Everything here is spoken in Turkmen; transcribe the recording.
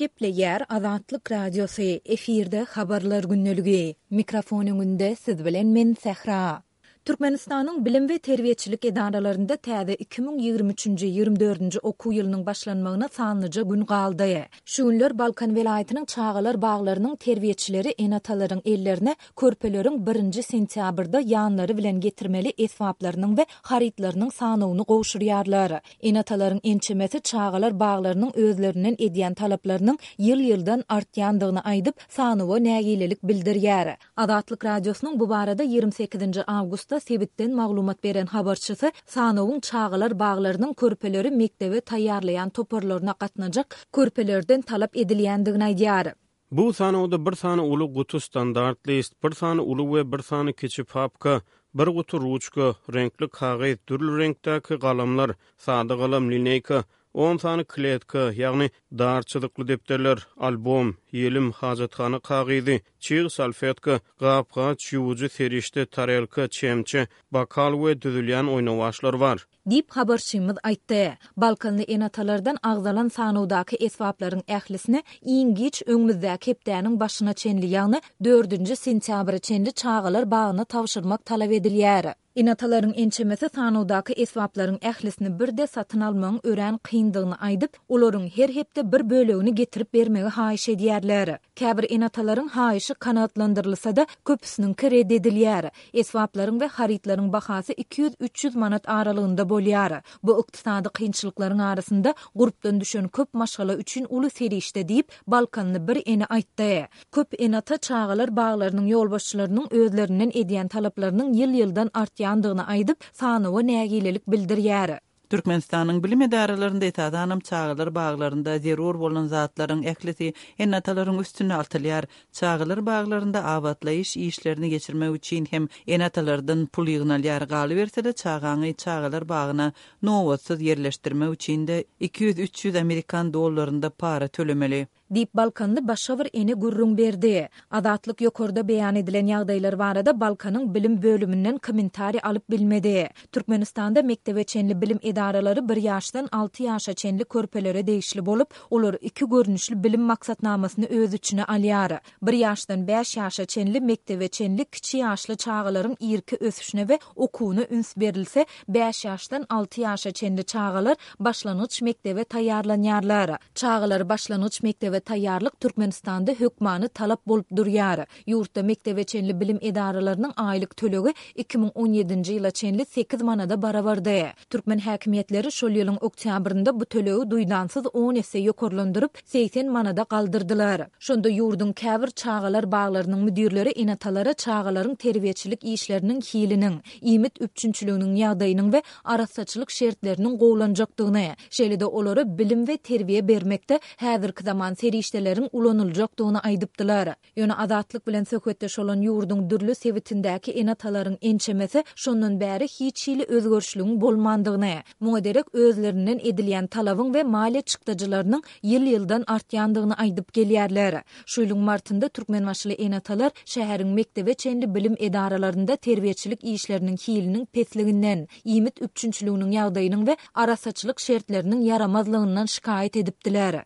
Gepleýär Azatlyk Radiosy, efirde Habarlar gündeligi. Mikrofon öňünde siz bilen men Sähra. Türkmenistanyň bilim we terbiýeçilik edaralarynda täze 2023-nji, 24-nji okuw ýylynyň başlanmagyna sanlyja gün galdy. Şu günler Balkan welaýatynyň çagalar baglarynyň terbiýeçileri ene-atalaryň ellerine körpeleriň birinji sentýabrda ýanlary bilen getirmeli esbaplarynyň we harytlarynyň sanawyny gowşurýarlar. Ene-atalaryň ençemesi çagalar baglarynyň özlerinden edýän talaplarynyň ýyl-ýyldan artýandygyny aýdyp, sanawa nägilelik bildirýär. Azatlyk Radiosynyň bu barada 28-nji awgustda sebitden maglumat beren habarçysy sanawyň çagalar baglarynyň körpeleri mekdebe taýýarlaýan toparlaryna gatnajak körpelerden talap edilýändigini aýdýar. Bu sanawda bir sany uly guty standart list, bir sany uly we bir sany kiçi papka, bir guty ruçka, reňkli kagyz, dürli reňkdäki galamlar, sada galam, lineýka, on sany kletka, ýagny dar çyzykly depderler, albom, ýelim, hajathana kagyzy, çyg salfetka, gap-gaç ýuwujy serişde, tarelka, çemçe, bokal we düzülýän oýnawaçlar bar. Diýip, habarçymyz aýtdy. Balkanly ene-atalardan agzalan sanawdaky esbaplaryň ählisini iň giç öňümizdäki hepdäniň başyna çenli, ýagny dördünji sentýabra çenli çagalar bagyna tabşyrmak talap edilýär. Ene-atalaryň ençemesi sanawdaky esbaplaryň ählisini birde satyn almagyň örän kyndygyny aýdyp, olaryň her hepde bir bölegini getirip bermegi haýyş edýärler. Käbir ene-atalaryň haýyşy kanagatlandyrylsa-da, köpüsiniňki ret edilýär. Esbaplaryň we harytlaryň bahasy 200-300 manat aralygynda bolýar. Bu ykdysady kynçylyklaryň arasynda gurpdan düşen köp maşgala üçin uly serişde diýip, balkanly bir ene aýtdy. Köp ene-ata çagalar baglarynyň ýolbaşçylarynyň özlerinden edýän talaplarynyň ýyl-ýyldan artýandygyny aýdyp, sanawa nägilelik bildirýär. Türkmenistanyň bilim edaralarynda, esasanam çagalar baglarynda zerur bolan zatlaryň ählisi ene-atalaryň üstüne atylýar. Çagalar baglarynda abatlaýyş işlerini geçirmek üçin hem ene-atalardan pul ýygnalýar. Galyberse-de, çagaňy çagalar bagyna nobatsyz ýerleşdirmek üçin-de 200-300 amerikan dollarynda para tölemeli. Diýip, balkanly başga bir ene gürrüň berdi. Azatlyk ýokarda beýan edilen ýagdaýlar barada Balkanyň bilim bölüminden kommentariý alyp bilmedi. Türkmenistanda mekdebe çenli bilim edaralary bir ýaşdan alty ýaşa çenli körpelere degişli bolup, olar iki görnüşli bilim maksatnamasyny öz içine alýar. Bir ýaşdan bäş ýaşa çenli mekdebe çenli kiçi ýaşly çagalaryň irki ösüşine we okuwyna üns berilse, bäş ýaşdan alty ýaşa çenli çagalar başlangyç mekdebe taýýarlanýarlar. Çagalary başlangyç mekdebe taýýarlyk Türkmenistanda hökmany talap bolup durýar. Ýurtda mekdebe çenli bilim edaralarynyň aýlyk tölegi 2017-nji ýyla çenli sekiz manada barabardy. Türkmen häkimiýetleri şol ýylyň oktýabrynda bu tölegi duýdansyz on esse ýokarlandyryp, 80 manada galdyrdylar. Şonda ýurduň käbir çagalar baglarynyň müdirleri ene-atalara çagalaryň terbiýeçilik işleriniň hiliniň, iýmit üpjünçiliginiň ýagdaýynyň we arassaçylyk şertleriniň gowulanjakdygyny, şeýle-de olara bilim we terbiýe bermekde häzirki zaman serişdeleriň ulanyljakdygyny aýdypdylar. Ýöne Azatlyk bilen söhbetdeş bolan ýurduň dürli sebitindäki ene-atalaryň ençemesi şondan bäri hiç hili özgerişligiň bolmandygyny, muňa derek özlerinden edilýän talabyň we maliýe çykdajylarynyň ýyl-ýyldan artýandygyny aýdyp gelýärler. Şu ýylyň martynda türkmenbaşyly ene-atalar şäheriň mekdebe çenli bilim edaralarynda terbiýeçilik işleriniň hiliniň pesliginden, iýmit üpjünçiliginiň ýagdaýynyň we arassaçylyk şertleriniň ýaramazlygyndan şikaýat edipdiler.